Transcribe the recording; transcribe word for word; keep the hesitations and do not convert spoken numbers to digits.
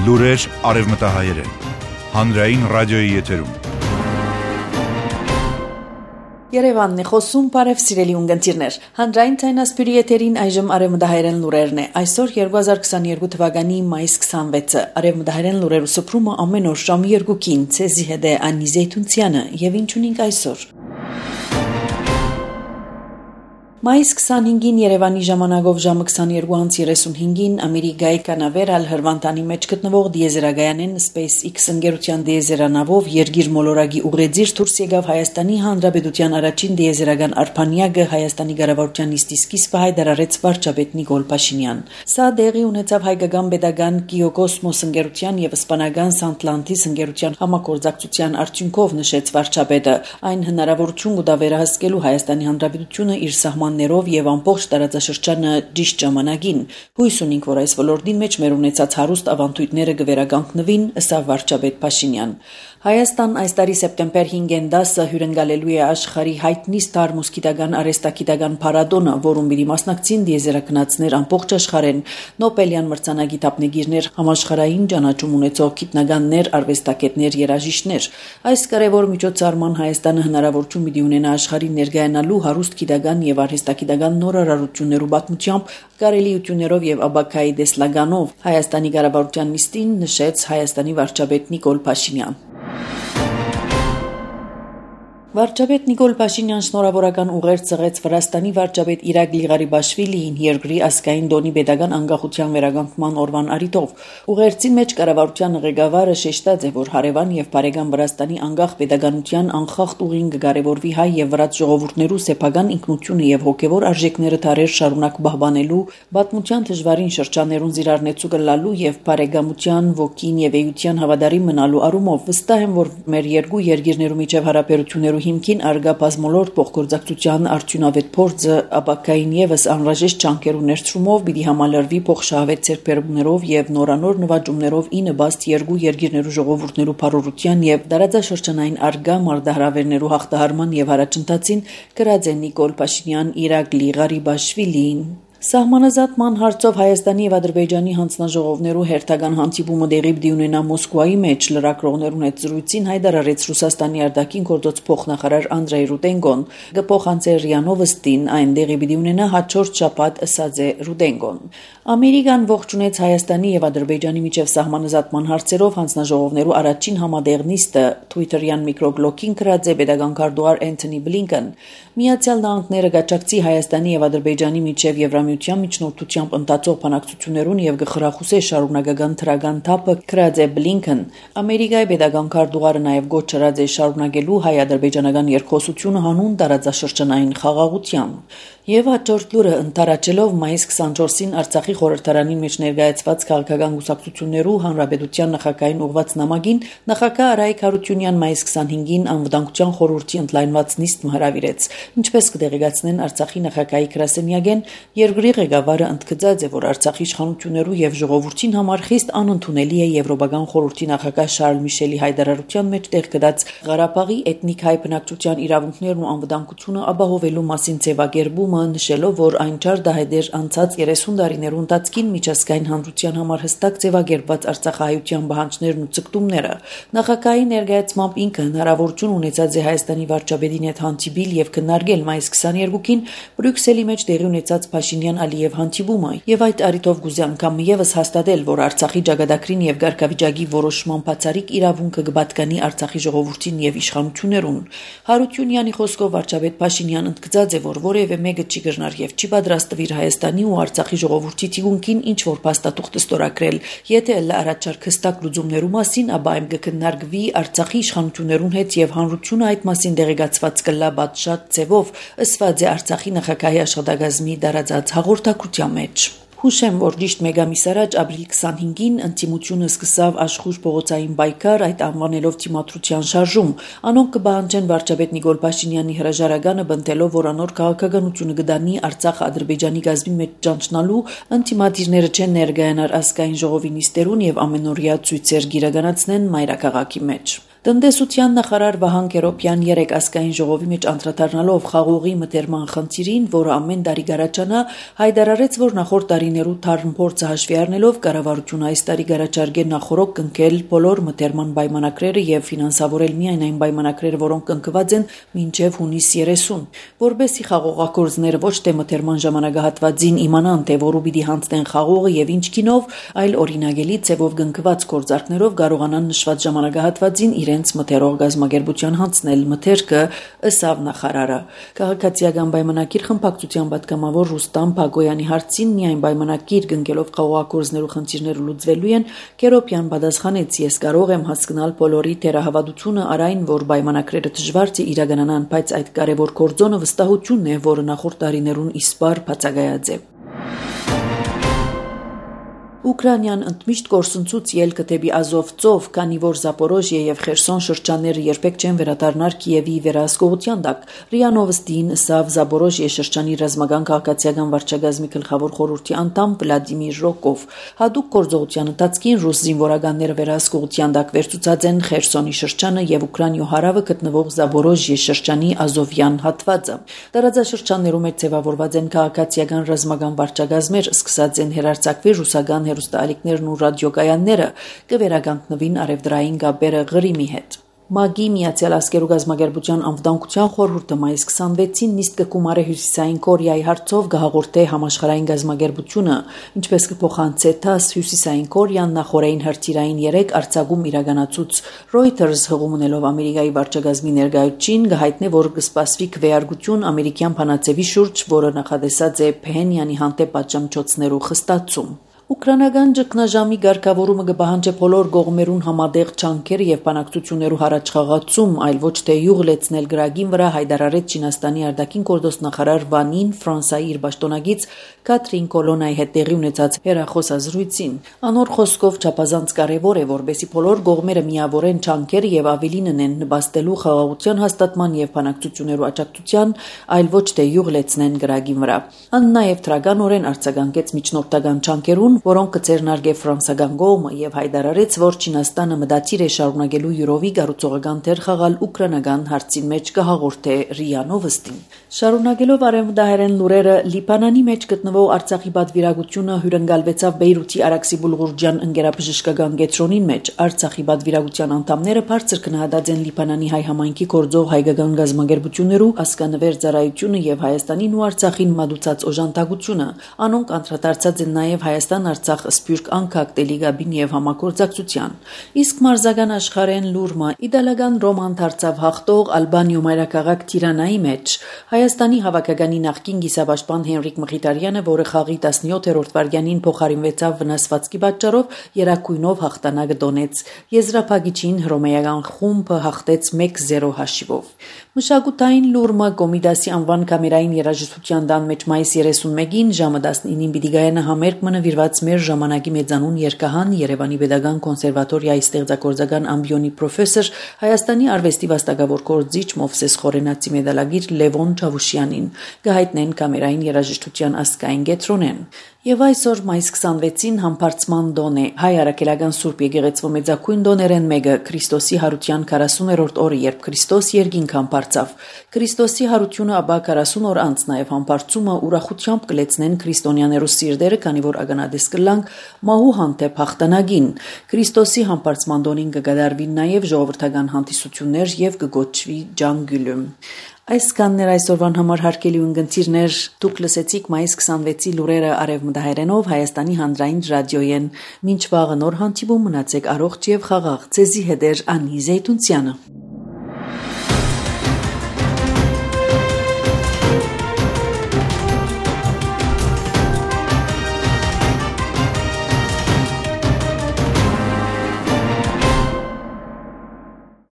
Լուրեր արևմտահայերեն։ Հանրային ռադիոյի եթերում։ Երևանն է խոսում, բարև սիրելի ունգընտիրներ։ Հանրային ցայնասպյուրի եթերին այժմ արևմտահայերեն լուրերն է։ Այսօր երկու հազար քսաներկու թվականի մայիս քսանվեցը։ Արևմտահայերեն լուրերու սփռումը ամեն օր ժամը երկուքին ցեզի հետ է Անի Զեյթունցյանը եւ ինչ ունենք այսօր։ Մայիս քսանհինգին Երևանի ժամանակով ժամը քսաներկու երեսունհինգին Ամերիկայի Կանավերալ հրվանդանի մեջ գտնվող դիեզերագայանեն SpaceX ընկերության դիեզերանավով երկիր մոլորակի ուղեծիր դուրս եկավ Հայաստանի Հանրապետության առաջին դիեզերական արփանյակը Հայաստանի կառավարության նիստի սկիզբը հայտարարեց վարչապետ Նիկոլ Փաշինյան։ Սա դեղի ունեցավ հայկական պետական Կիոկոսմոս ընկերության եւ իսպանական Սանտլանտիս ընկերության համագործակցության արդյունքով նշեց վարչապետը։ Այն հնարավորություն կտա վերահսկելու Հայաստանի Հանրապետությունը իր սահման ներով եւ ամբողջ տարածաշրջանը ճիշտ ժամանակին հույս ունենք, որ այս ոլորտին մեջ մեր ունեցած հարուստ ավանդույթները կվերականգնվին, ըստ վարչապետ Փաշինյան։ Հայաստան այս տարի սեպտեմբեր հինգին դասը հյուրընկալելու է աշխարհի հայտնի Star Mosquito-գան արհեստագիտական փառատոնը, որում պիտի մասնակցին դիեզերագնացներ ամբողջ աշխարհեն, Նոբելյան մրցանակի դափնեկիրներ, համաշխարհային ճանաչում ունեցող գիտնականներ, արվեստագետներ, երաժիշտներ։ Այս կարևոր միջոցառման Հայաստանը հնարավորություն պիտի ունենա աշխարհին ներկայանալու հարուստ գիտական եւ արհեստագիտական նորարարություններու պատմությամբ, կարելիություններով եւ աբակայի դեսլագանով Հայաստանի կառավարության նիստին նշեց Հայաստանի վարչապետ Նիկոլ Փաշինյան։ Վարչապետ Նիկոլ Փաշինյան շնորհավորական ուղերձ ծղեց Վրաստանի վարչապետ Իրակլի Ղարիբաշվիլիին երկրի ազգային դոնի պետական անկախության վերականգնման օրվան առիթով։ Ուղերձի մեջ կառավարության ղեկավարը շեշտած է, որ հարևան եւ բարեկամ Վրաստանի անկախ պետականության անխախտ ուղին կկարևորվի հայ եւ վրաց ժողովուրդներու սեփական ինքնությունը եւ հոգեվոր արժեքները դարեր շարունակ պահպանելու, պատմության դժվարին շրջաններուն զիրառնեցու կլալու եւ բարեկամության ոգին եւ էության հավատարիմ մնալու առումով վստահ եմ, որ մեր երկու երկիրներու միջև հարաբերություններու հիմքին արգա բազմոլորտ փոխգործակցության արդյունավետ փորձը աբակային եւս անհրաժեշտ ճանկերու ներդրումով պիտի համալրվի փոխշահավետ ձեռքբերումներով եւ նորանոր նվաճումներով ի նպաստ երկու երկիրներու ժողովուրդներու բարօրության եւ տարածաշրջանային արգա մարտահրավերներու հաղթահարման եւ առաջընթացին գրած է Նիկոլ Փաշինյան Իրակլի Ղարիբաշվիլիին։ Սահմանազատման հարցով Հայաստանի եւ Ադրբեջանի հանձնաժողովներու հերթական հանդիպումը դեղի պիտի ունենա Մոսկվայի մեջ լրագրողներուն հետ զրույցին հայտարարեց Ռուսաստանի արտաքին գործոց փոխնախարար Անդրեյ Ռուդենկոն։ Գփոխանցել ՌԻԱ Նովոստին այն դեղի պիտի ունենա հաջորդ շաբաթ, ըսած է Ռուդենկոն։ Ամերիկան ողջունեց Հայաստանի եւ Ադրբեջանի միջև սահմանազատման հարցերով հանձնաժողովներու առաջին համատեղ նիստը Twitter-յան միկրոբլոգին գրած է պետական քարտուղար Էնթոնի Բլինքեն։ Միացյալ Նահանգները գաճակցի Հայաստանի եւ Ադրբեջանի միջև Եվրամիության միջնորդությամբ ընթացող բանակցություններուն եւ գխրախուսե շարունակական թրական թափը գրած է Բլինքեն։ Ամերիկայի պետական քարտուղարը նաեւ գոչ չրած է շարունակելու հայ-ադրբեջանական երկխոսությունը հանուն տարածաշրջանային խաղաղության։ Եվ հաջորդ լուրը ընթարաճելով մայիս քսանչորսին Արցախի խորհրդարանի մեջ ներկայացված քաղաքական կուսակցություններու հանրապետության նախագահային ուղված նամակին նախագահ Արայիկ Հարությունյան մայիս քսանհինգին անվտանգության խորհրդի ընդլայնված նիստ հրավիրեց։ Ինչպես կդեղեկացնեն Արցախի նախագահի գրասենյակեն, երկրի ղեկավարը ընդգծած է, որ Արցախի իշխանություններու եւ ժողովրդին համար խիստ անընդունելի է Եվրոպական խորհրդի նախագահ Շարլ Միշելի հայտարարության մեջ տեղ գտած Ղարաբաղի էթնիկ հայ բնակչության իրավունքներն ու անվտանգությունը ապահովելու մասին ձևակերպումը, նշելով, որ այն չար դահեդեր անցած երեսուն տարիներու ընթացքին միջազգային հանրության համար հստակ ձևակերպված արցախահայության պահանջներն ու ցկտումները։ Նախագահի ներկայացմամբ ինքը հնարավորություն ունեցած է Հայաստանի վարչապետին հետ հանդիպել եւ քննարկել մայիս քսաներկուին Բրյուսելի մեջ տեղի ունեցած Փաշինյան-Ալիև հանդիպումը եւ այդ առիթով գուզի անգամ եւս հաստատել, որ Արցախի ճակատագրին եւ ղարքավիճակի որոշման բացառիկ իրավունքը կպատկանի Արցախի ժողովրդին եւ իշխանություններուն։ Հարությունյանի խոսքով վարչապետ Փաշինյան ընդգծած է, որ որևէ մեկը չի գժնար եւ չի պատրաստվիր Հայաստանի ու Արցախի ժողովրդի թիկունքին ինչ որ փաստաթուղթ ստորագրել։ Եթե առաջարկ հստակ լուծումներու մասին, ապա այն կքննարկվի Արցախի իշխանություններուն հետ եւ հանրությունը այդ մասին դեղեկացված կլա բացշատ ձևով, ըսված է Արցախի նախագահի աշխատակազմի դարածած հաղորդակցության մեջ։ Հուշեմ, որ ճիշտ մեկ ամիս առաջ ապրիլի քսանհինգին ընտիմությունը սկսավ աշխուժ փողոցային պայքար, այդ անվանելով թիմադրության շարժում։ Անոնք կբանջեն վարչապետ Նիկոլ Փաշինյանի հրաժարականը, բնտելով, որ անոր քաղաքականությունը կդանի Արցախ Ադրբեջանի գազի մեջ ճանչնալու, ընտիմադիրները չեն ներկայանար ազգային ժողովի նիստերուն եւ ամենօրյա ցույցեր գիրականացնեն մայրաքաղաքի մեջ։ Տնտեսության նախարար Վահան Կերոպյան երեկ ազգային ժողովի մեջ անդրադառնալով խաղողի մտերման խնդիրին, որը ամեն տարի գարաչանա, հայտարարեց, որ նախորդ տարիներու թարմ փորձը հաշվի առնելով կառավարությունը այս տարի գարաչարգե նախորոք կնքել բոլոր մտերման պայմանագրերը եւ ֆինանսավորել միայն այն պայմանագրերը, որոնք կնքված են մինչեւ հունիս երեսուն, որբեսի խաղողակորձները ոչ թե մտերման ժամանակահատվածին իմանան, թե որու պիտի հանձնեն խաղողը եւ ինչ կինով, այլ օրինագելի ձևով կնքված կորձարկներով կարողանան նշված ժամանակահատվածին իրենց մթերող գազམ་ագերբության հանձնել մթերքը, ըսավ նախարարը։ Քաղաքացիական պայմանագիր խմբակցության պատգամավոր Ռուստամ Բագոյանի հարցին միայն պայմանագիր կնքելով խաղողակորձներու խնդիրները լուծվելու են, Կերոպյան պատասխանեց. «Ես կարող եմ հասկանալ բոլորի թերահավատությունը առայն, որ պայմանագրերը դժվար է իրականանան, բայց այդ կարևոր գործոնը վստահությունն է, որը նախորդ տարիներուն իսպար բացակայած է»։ Ուկրաինան ընդմիշտ կորսնցուց ելքը դեպի Ազով ծով, քանի որ Զապորոժիե եւ Խերսոն շրջանները երբեք չեն վերադառնար Կիևի վերահսկողության տակ։ ՌԻԱ Նովոստին ըսավ Զապորոժիե շրջանի ռազմական քաղաքացիական վարչագազմի գլխավոր խորհրդի անդամ Վլադիմիր Ռոկով։ Հատուկ գործողության ընթացքին ռուս զինվորականները վերահսկողության տակ վերցուցած են Խերսոնի շրջանը եւ Ուկրաինայո հարավը գտնվող Զապորոժիե շրջանի Ազովյան հատվածը։ Տարածաշրջաններում մեջ ձևավորված են քաղաքացիական ռազմական վարչագազմեր, սկսած են հերարցակվի ռուսական հերոստալիկներն ու ռադիոկայանները կվերականգնվին արևդրային գաբերը Ղրիմի հետ։ ՄԱԳ-ի Միացյալ Ազգերու գազམ་ագերբության անվտանգության խորհուրդը մայիս քսանվեցին նիստ կկումարի Հյուսիսային Կորեայի հարցով գահաղորդե համաշխարհային գազམ་ագերբությունը, ինչպես կփոխանցե ԹԱՍՍ Հյուսիսային Կորեան նախորդային հրթիռային երեք արձակում իրականացուց Reuters հղում ունելով Ամերիկայի վարչագազմի ներկայացուցին կհայտնե, որ կսպասվի քվեարկություն ամերիկյան բանաձևի շուրջ, որը նախադեсած է Փհենյանի հանդեպ պատժամիջոցներու խստացում։ Ուկրաինական ճգնաժամի ղեկավարումը կպահանջի բոլոր կողմերուն համատեղ ջանքեր եւ բանակցություններու հարաճխաղացում, այլ ոչ թե յուղ լեցնել գրագին վրա, հայտարարեց Չինաստանի արտաքին գործոստ նախարար Վանին Ֆրանսայի իր պաշտոնագից Կաթրին Կոլոնայի հետ տեղի ունեցած հերախոսազրույցին։ Անոր խոսքով չափազանց կարևոր է, որբեսի բոլոր կողմերը միավորեն ջանքերը եւ ավելին ունեն նպաստելու խաղաղության հաստատման եւ բանակցություններու աջակցության, այլ ոչ թե յուղ լեցնեն գրագին վրա։ Ան նաեւ թրագանորեն արձագանքեց միջնորդական ջանքերուն, որոնք կցերնարգե ֆրանսական կողմը եւ հայտարարեց, որ Չինաստանը մտադիր է շարունակելու յուրովի գառուցողական դեր խաղալ ուկրաինական հարցին մեջ կհաղորդե ՌԻԱ Նովոստին։ Շարունակելով արևմտահայերեն լուրերը, Լիբանանի մեջ գտնվող Արցախի պատվիրակությունը հյուրընկալվեցավ Բեյրութի Արաքսի Բուլղուրջյան ընկերաբժշկական կենտրոնին մեջ։ Արցախի պատվիրակության անդամները բարձր գնահատած են Լիբանանի հայ համայնքի գործող հայկական գազམ་ագերբություններու ասկանվեր ծառայությունը եւ Հայաստանին ու Արցախին մատուցած օժանդակությունը։ Անոնք անդրադարձած են նաեւ Հայաստան Արցախ սփյուռք անկախ դելիգաբին եւ համագործակցության։ Իսկ մարզական աշխարհեն լուրմը իտալական Ռոման դարձավ հաղթող Ալբանիո մայրաքաղաք Տիրանայի մեջ։ Հայաստանի հավաքականի նախկին գիսապաշտպան Հենրիկ Մխիթարյանը, որը խաղի տասնյոթերորդ վայրկյանին փոխարինվեցավ վնասվածքի պատճառով, երակույնով հաղթանակը տոնեց։ Եզրափակիչին հռոմեական խումբը հաղթեց մեկ զիրո հաշիվով։ Մշակութային լուրմը Կոմիդասի անվան կամերային երաժշտության տան մեջ մայիս երեսունմեկին ժամը տասնինին պիտի գայանա համերգ մնվիրված մեր ժամանակի մեծանուն երգահան Երևանի Պետական կոնսերվատորիայի ստեղծագործական ամբիոնի պրոֆեսոր Հայաստանի արվեստի վաստակավոր գործիչ Մովսես Խորենացի մեդալագիր Լևոն Չավուշյանին կհայտնեն կամերային երաժշտության ազգային կենտրոնեն։ Եվ այսօր մայիս քսանվեցին համբարձման տոն է հայ արաքելական Սուրբ Եկեղեցու մեծակույն տոներեն մեկը Քրիստոսի հարության քառասուներորդ օրը, երբ Քրիստոս երկինք համբարձավ։ Քրիստոսի հարությունը ապա քառասուն օր անց նաև համբարձումը ուրախությամբ կլեցնեն քրիստոնյաներու սիրտերը, քանի որ ագանադես կլանք մահու հանդեպ հաղթանակին։ Քրիստոսի համբարձման տոնին կգադարվին նաև ժողովրդական հանդիսություններ եւ կգոչվի ջանգյուլում։ Այսքաններ այսօրվան համար հարգելի ունգընտիրներ, դուք լսեցիք մայիս քսանվեցի լուրերը արևմտահայերենով Հայաստանի հանրային ռադիոյեն։ Մինչ վաղը նոր հանդիպում, մնացեք առողջ եւ խաղաղ։ Ձեզի հետ էր Անի Զեյթունցյանը։